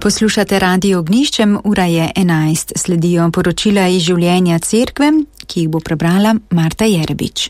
Poslušate Radio Ognjiščem, ura je 11. Sledijo poročila iz življenja cerkve, ki jih bo prebrala Marta Jerebič.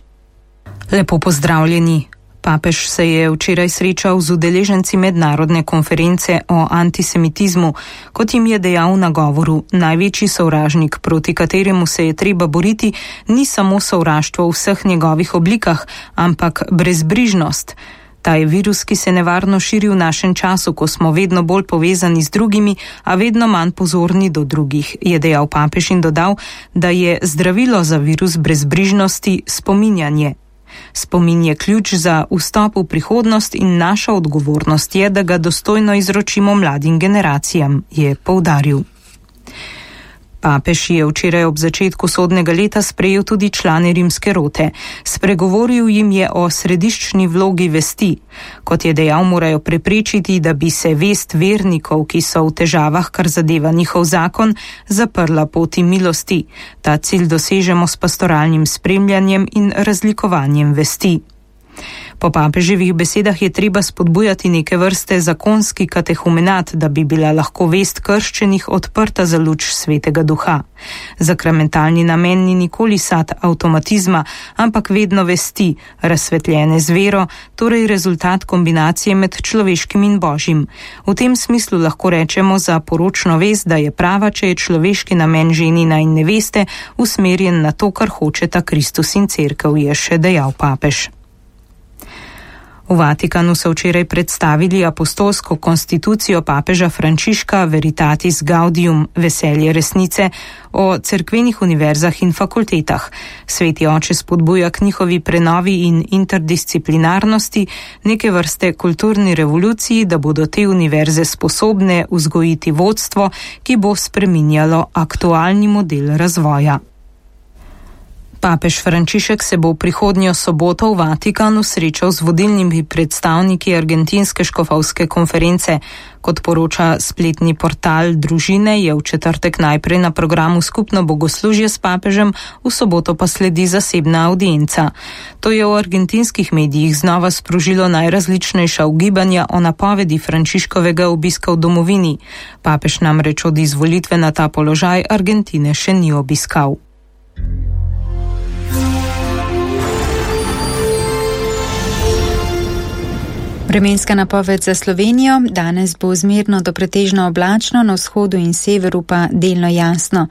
Lepo pozdravljeni. Papež se je včeraj srečal z udeleženci mednarodne konference o antisemitizmu, kot jim je dejal na govoru. Največji sovražnik, proti kateremu se je treba boriti, ni samo sovraštvo v vseh njegovih oblikah, ampak brezbrižnost. Ta je virus, ki se nevarno širi v našem času, ko smo vedno bolj povezani z drugimi, a vedno manj pozorni do drugih, je dejal papež in dodal, da je zdravilo za virus brezbrižnosti spominjanje. Spomin je ključ za vstop v prihodnost in naša odgovornost je, da ga dostojno izročimo mladim generacijam, je poudaril. Papež je včeraj ob začetku sodnega leta sprejel tudi člane rimske rote. Spregovoril jim je o središčni vlogi vesti. Kot je dejal, morajo preprečiti, da bi se vest vernikov, ki so v težavah, kar zadeva njihov zakon, zaprla poti milosti. Ta cilj dosežemo s pastoralnim spremljanjem in razlikovanjem vesti. Po papeževih besedah je treba spodbujati neke vrste zakonski katehumenat, da bi bila lahko vest krščenih odprta za luč Svetega Duha. Zakramentalni namen ni nikoli sad avtomatizma, ampak vedno vesti, razsvetljene z vero, torej rezultat kombinacije med človeškim in božjim. V tem smislu lahko rečemo za poročno vest, da je prava, če je človeški namen ženina in neveste usmerjen na to, kar hočeta Kristus in cerkev, je še dejal papež. V Vatikanu so včeraj predstavili apostolsko konstitucijo papeža Frančiška Veritatis Gaudium, veselje resnice, o cerkvenih univerzah in fakultetah. Sveti oče spodbuja k njihovi prenovi in interdisciplinarnosti, neke vrste kulturni revoluciji, da bodo te univerze sposobne vzgojiti vodstvo, ki bo spreminjalo aktualni model razvoja. Papež Frančišek se bo prihodnjo soboto v Vatikanu srečal z vodilnimi predstavniki argentinske škofovske konference. Kot poroča spletni portal Družine, je v četrtek najprej na programu skupno bogoslužje s papežem, v soboto pa sledi zasebna audienca. To je v argentinskih medijih znova sprožilo najrazličnejša ugibanja o napovedi Frančiškovega obiska v domovini. Papež namreč od izvolitve na ta položaj Argentine še ni obiskal. Vremenska napoved za Slovenijo. Danes bo zmerno do pretežno oblačno, na vzhodu in severu pa delno jasno.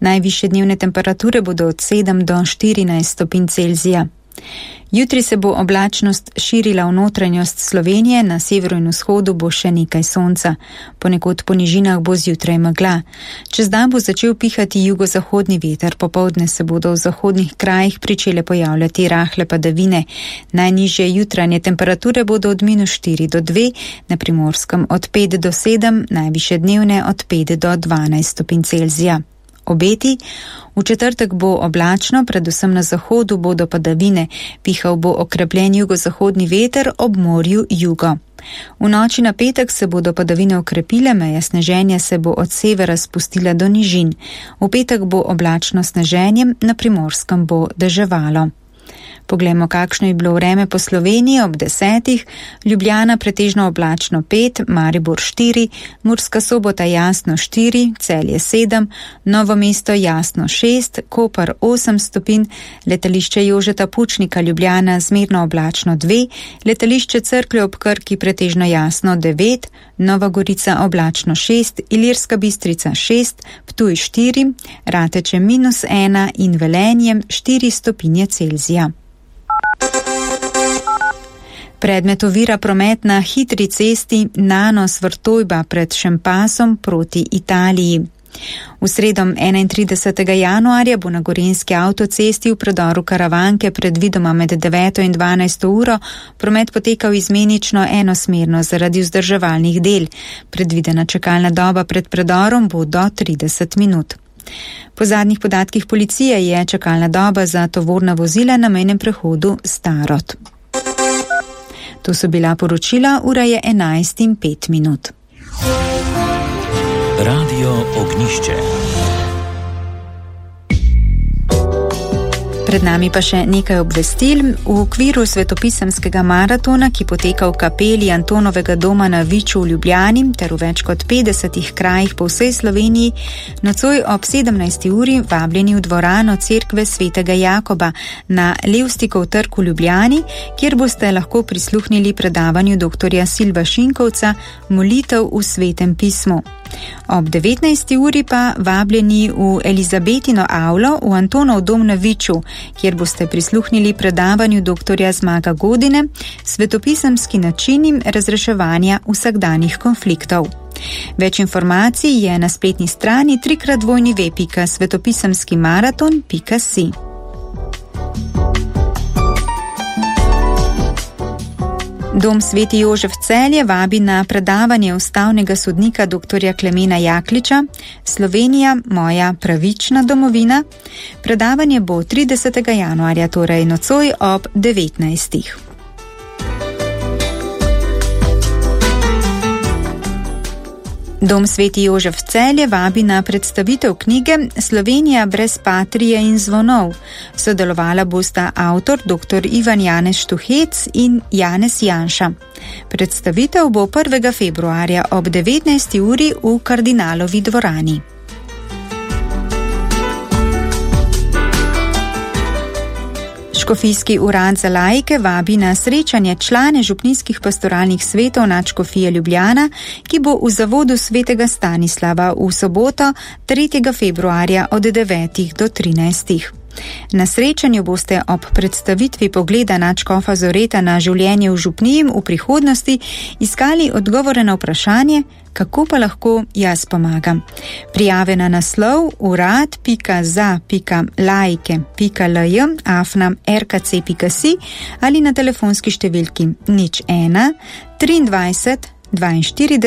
Najvišje dnevne temperature bodo od 7 do 14 stopinj Celzija. Jutri se bo oblačnost širila v notranjost Slovenije, na severu in vzhodu bo še nekaj sonca. Ponekod po nižinah bo zjutraj megla. Čez dan bo začel pihati jugozahodni veter, popoldne se bodo v zahodnih krajih pričele pojavljati rahle padavine. Najnižje jutranje temperature bodo od -4 do 2, na Primorskem od 5 do 7, najvišje dnevne od 5 do 12 stopinj Celzija. Obeti. V četrtek bo oblačno, predvsem na zahodu bodo padavine, pihal bo okrepljen jugozahodni veter, ob morju jugo. V noči na petek se bodo padavine okrepile, meja sneženja se bo od severa spustila do nižin. V petek bo oblačno sneženjem, na Primorskem bo deževalo. Poglejmo, kakšno je bilo vreme po Sloveniji ob 10. Ljubljana pretežno oblačno 5, Maribor 4, Murska Sobota jasno 4, Celje 7, Novo mesto jasno 6, Koper 8 stopinj, letališče Jožeta Pučnika Ljubljana zmerno oblačno 2, letališče Cerklje ob Krki pretežno jasno 9, Nova Gorica oblačno 6, Ilirska Bistrica 6, Ptuj 4, Rateče -1 in Velenjem 4 stopinje Celzija. Predmet ovira promet na hitri cesti Nanos-Vrtojba pred Šempasom proti Italiji. V sredo 31. januarja bo na Gorenjski avtocesti v predoru Karavanke predvidoma med 9. in 12. uro promet potekal izmenično enosmerno zaradi vzdrževalnih del. Predvidena čakalna doba pred predorom bo do 30 minut. Po zadnjih podatkih policije je čakalna doba za tovorna vozila na mejnem prehodu Starod. To so bila poročila, ura je 11:05. Radio Ognjišče. Pred nami pa še nekaj obvestil. V okviru svetopisemskega maratona, ki poteka v kapeli Antonovega doma na Viču v Ljubljani ter v več kot 50 krajih po vsej Sloveniji, nocoj ob 17. uri vabljeni v dvorano Cerkve svetega Jakoba na Levstikov trg v Ljubljani, kjer boste lahko prisluhnili predavanju dr. Silva Šinkovca Molitev v svetem pismu. Ob 19. uri pa vabljeni v Elizabetino avlo v Antonov dom na Viču, kjer boste prisluhnili predavanju dr. Zmaga Godine Svetopisemski načini razreševanja vsakdanjih konfliktov. Več informacij je na spletni strani www.svetopisemskimaraton.si. Dom Sveti Jožef Celje vabi na predavanje ustavnega sodnika dr. Klemena Jakliča Slovenija, moja pravična domovina. Predavanje bo 30. januarja, torej nocoj ob 19. Dom Sveti Jožef Celje vabi na predstavitev knjige Slovenija brez patrije in zvonov. Sodelovala bosta avtor dr. Ivan Janez Štuhec in Janez Janša. Predstavitev bo 1. februarja ob 19. uri v Kardinalovi dvorani. Škofijski urad za laike vabi na srečanje člane župnijskih pastoralnih svetov Nadškofije Ljubljana, ki bo v zavodu svetega Stanislava v soboto 3. februarja od 9. do 13. Na srečanju boste ob predstavitvi pogleda nadškofa Zoreta na življenje v župniji v prihodnosti iskali odgovore na vprašanje, kako pa lahko jaz pomagam. Prijave na naslov urad.za.laike.lj@rkc.si ali na telefonski številki 01 23 42